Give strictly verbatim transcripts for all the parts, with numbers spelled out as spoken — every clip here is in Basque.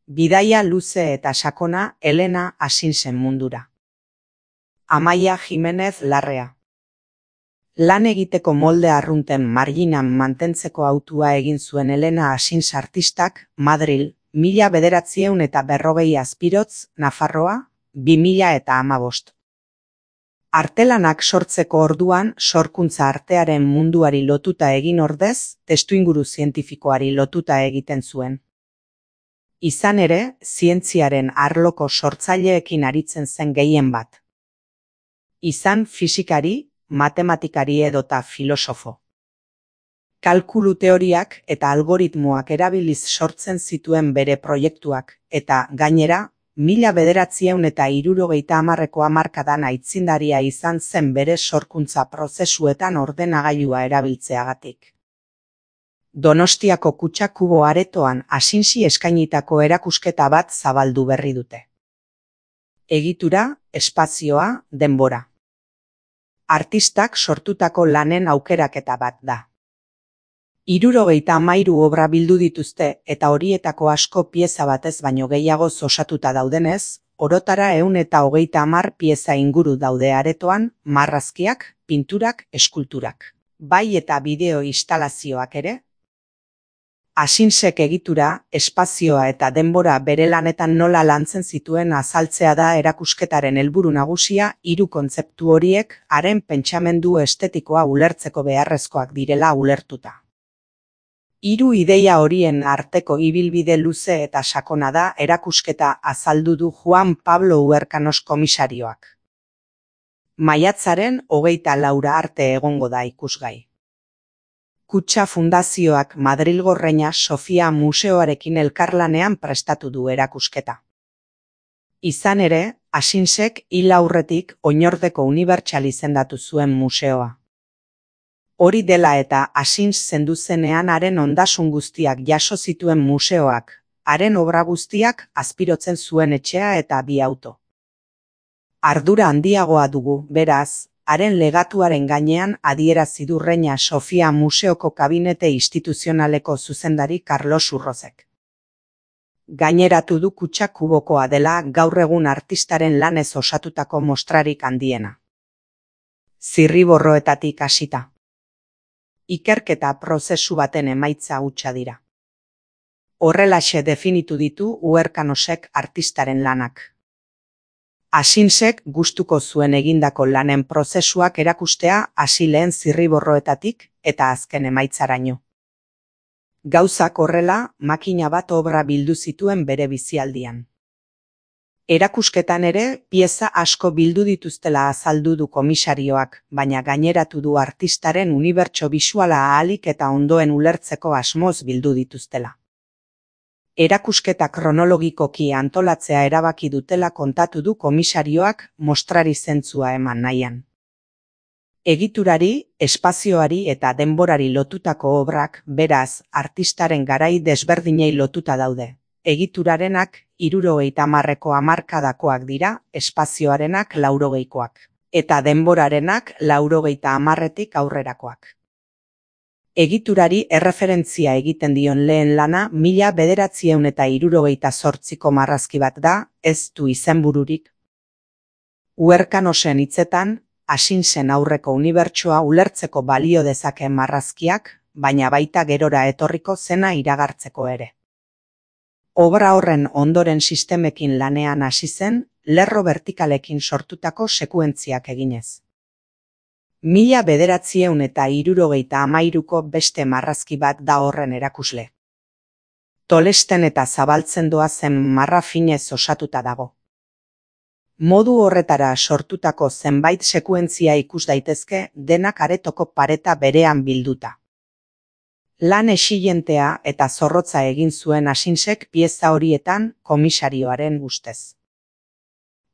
Bidaia luze eta sakona Elena Asinsen mundura. Amaia Jimenez Larrea. Lan egiteko molde arrunten marginan mantentzeko hautua egin zuen Elena Asins artistak, Madril, mila bederatziehun eta berrogei Azpirotz, Nafarroa, bi mila eta hamabost. Artelanak sortzeko orduan sorkuntza artearen munduari lotuta egin ordez, testuinguru zientifikoari lotuta egiten zuen. Izan ere, zientziaren arloko sortzaileekin aritzen zen gehien bat. Izan fisikari, matematikari edota filosofo. Kalkulu teoriak eta algoritmoak erabiliz sortzen zituen bere proiektuak, eta, gainera, mila bederatziehun eta hirurogeita hamarreko hamarkadan aitzindaria izan zen bere sorkuntza prozesuetan ordenagailua erabiltzeagatik. Donostiako Kutxa Kubo aretoan Asinsi eskainitako erakusketa bat zabaldu berri dute. Egitura, espazioa, denbora. Artistak sortutako lanen aukeraketa bat da. Hirurogeita hamairu obra bildu dituzte eta horietako asko pieza batez baino gehiago osatuta daudenez, orotara ehun eta hogeita hamar pieza inguru daude aretoan, marrazkiak, pinturak, eskulturak. Bai eta bideo instalazioak ere. Asinsek egitura, espazioa eta denbora bere lanetan nola lantzen zituen azaltzea da erakusketaren helburu nagusia, hiru kontzeptu horiek haren pentsamendu estetikoa ulertzeko beharrezkoak direla ulertuta. Hiru ideia horien arteko ibilbide luze eta sakona da erakusketa azaldu du Juan Pablo Uherkanos komisarioak. Maiatzaren hogeita laura arte egongo da ikusgai. Kutxa Fundazioak Madrilgo Reina Sofia Museoarekin elkarlanean prestatu du erakusketa. Izan ere, Asinsek hil aurretik oinordeko unibertsal izendatu zuen museoa. Hori dela eta Asins zendu zenean haren ondasun guztiak jaso zituen museoak, haren obra guztiak azpirotzen zuen etxea eta bi auto. Ardura handiagoa dugu, beraz, haren legatuaren gainean adierazi du Reina Sofia Museoko kabinete instituzionaleko zuzendari Carlos Urrozek. Gaineratu du Kutxa Kubokoa dela gaur egun artistaren lanez osatutako mostrarik handiena. Zirriborroetatik hasita. Ikerketa prozesu baten emaitza hutsa dira. Horrelaxe definitu ditu Uherkanosek artistaren lanak. Asinsek gustuko zuen egindako lanen prozesuak erakustea hasi lehen zirriborroetatik eta azken emaitzaraino. Gauzak horrela, makina bat obra bildu zituen bere bizialdian. Erakusketan ere, pieza asko bildu dituztela azaldu du komisarioak, baina gaineratu du artistaren unibertso bisuala ahalik eta ondoen ulertzeko asmoz bildu dituztela. Erakusketa kronologikoki antolatzea erabaki dutela kontatu du komisarioak mostrari zentzua eman nahian. Egiturari, espazioari eta denborari lotutako obrak, beraz, artistaren garai desberdinei lotuta daude. Egiturarenak hirurogeita hamarreko hamarkadakoak dira, espazioarenak laurogeikoak, eta denborarenak laurogeita hamarretik aurrerakoak. Egiturari erreferentzia egiten dion lehen lana mila bederatziehun eta hirurogeita zortziko marrazki bat da, ez du izenbururik. Uherkanosen hitzetan, Asinsen aurreko unibertsoa ulertzeko balio dezakeen marrazkiak, baina baita gerora etorriko zena iragartzeko ere. Obra horren ondoren sistemekin lanean hasi zen, lerro bertikalekin sortutako sekuentziak eginez. Mila bederatziehun eta hirurogeita hamairuko beste marrazki bat da horren erakusle. Tolesten eta zabaltzen doa zen marra finez osatuta dago. Modu horretara sortutako zenbait sekuentzia ikus daitezke denak aretoko pareta berean bilduta. Lan exilentea eta zorrotza egin zuen Asinsek pieza horietan komisarioaren ustez.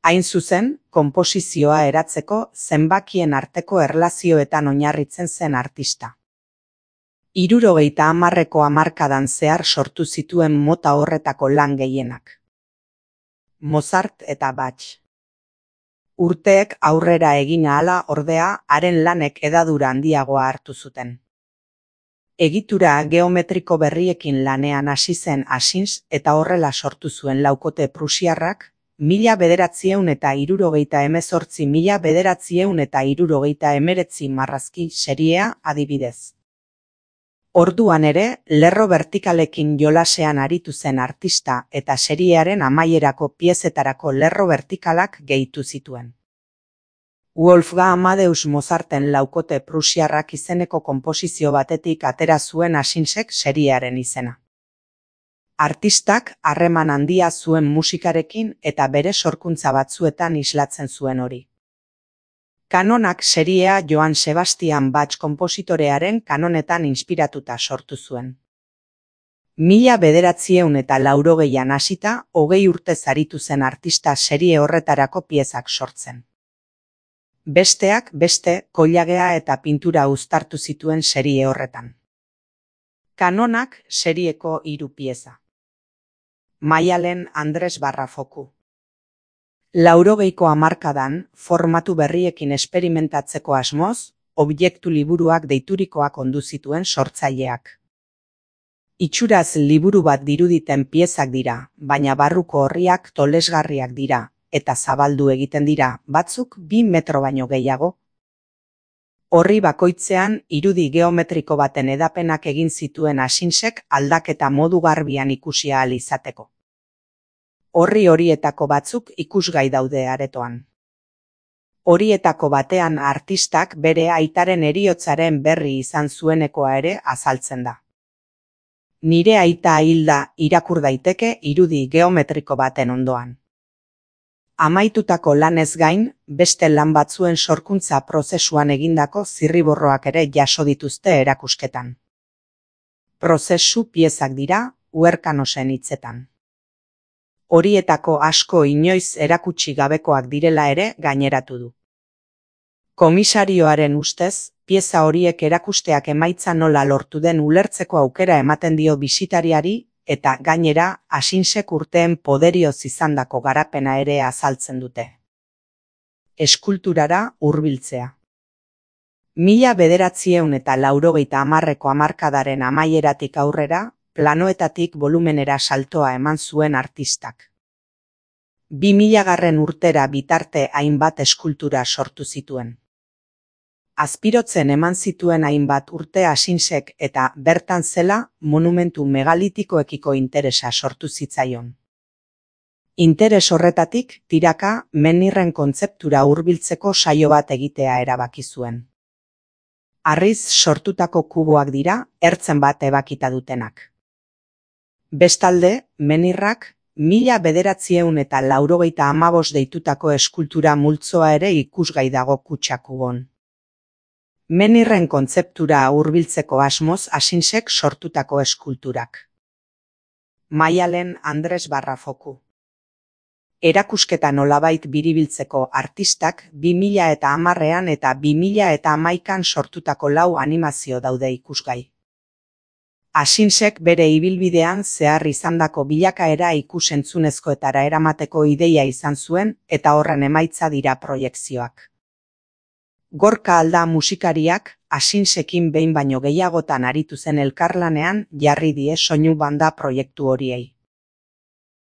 Hain zuzen, konposizioa eratzeko zenbakien arteko erlazioetan oinarritzen zen artista. Hirurogeita hamarreko hamarkadan zehar sortu zituen mota horretako lan gehienak. Mozart eta Bach. Urteek aurrera egin ahala ordea, haren lanek hedadura handiagoa hartu zuten. Egitura geometriko berriekin lanean hasi zen Asins eta horrela sortu zuen laukote prusiarrak, mila bederatziehun eta hirurogeita hemezortzi mila bederatziehun eta hirurogeita hemeretzi marrazki seriea adibidez. Orduan ere, lerro vertikalekin jolasean aritu zen artista eta seriearen amaierako piezetarako lerro vertikalak gehitu zituen. Wolfgang Amadeus Mozarten laukote prusiarrak izeneko konposizio batetik atera zuen Asinsek seriearen izena. Artistak harreman handia zuen musikarekin eta bere sorkuntza batzuetan islatzen zuen hori. Kanonak seriea Johann Sebastian Bach konpositorearen kanonetan inspiratuta sortu zuen. Mila bederatziehun eta laurogeian hasita, hogei urtez aritu zen artista serie horretarako piezak sortzen. Besteak beste, koilagea eta pintura uztartu zituen serie horretan. Kanonak serieko hiru pieza. Maialen Andres Barrafoku. Laurogeiko hamarkadan, formatu berriekin esperimentatzeko asmoz, objektu liburuak deiturikoak ondu zituen sortzaileak. Itxuraz liburu bat diruditen piezak dira, baina barruko orriak tolesgarriak dira, eta zabaldu egiten dira, batzuk bi metro baino gehiago. Orri bakoitzean irudi geometriko baten edapenak egin zituen Asinsek aldaketa modu garbian ikusi ahal izateko. Orri horietako batzuk ikusgai daude aretoan. Horietako batean artistak bere aitaren heriotzaren berri izan zuenekoa ere azaltzen da. Nire aita hilda irakur daiteke irudi geometriko baten ondoan. Amaitutako lanez gain, beste lan batzuen sorkuntza prozesuan egindako zirriborroak ere jaso dituzte erakusketan. Prozesu piezak dira, Huerkanosen hitzetan. Horietako asko inoiz erakutsi gabekoak direla ere gaineratu du. Komisarioaren ustez, pieza horiek erakusteak emaitza nola lortu den ulertzeko aukera ematen dio bisitariari, eta gainera Asinsek urteen poderioz izandako garapena ere azaltzen dute. Eskulturara hurbiltzea. Mila bederatziehun eta laurogeita hamarreko hamarkadaren amaieratik aurrera, planoetatik volumenera saltoa eman zuen artistak. Bi milagarren urtera bitarte hainbat eskultura sortu zituen. Azpirotzen eman zituen hainbat urte Asinsek eta bertan zela monumentu megalitikoekiko interesa sortu zitzaion. Interes horretatik tiraka menirren kontzeptura hurbiltzeko saio bat egitea erabaki zuen. Harriz sortutako kuboak dira, ertzen bat ebakita dutenak. Bestalde, menirrak mila bederatziehun eta laurogeita hamabost deitutako eskultura multzoa ere ikusgai dago kutxa kubon. Menirren kontzeptura hurbiltzeko asmoz Asinsek sortutako eskulturak. Maialen Andres Barrafoku. Erakusketa nolabait biribiltzeko artistak bi mila eta hamarrean eta bi mila eta hamaikan sortutako lau animazio daude ikusgai. Asinsek bere ibilbidean zehar izandako bilakaera ikusentzunezkoetara eramateko ideia izan zuen eta horren emaitza dira proiekzioak. Gorka Alda musikariak Asinsekin behin baino gehiagotan aritu zen elkarlanean jarri die soinu banda proiektu horiei.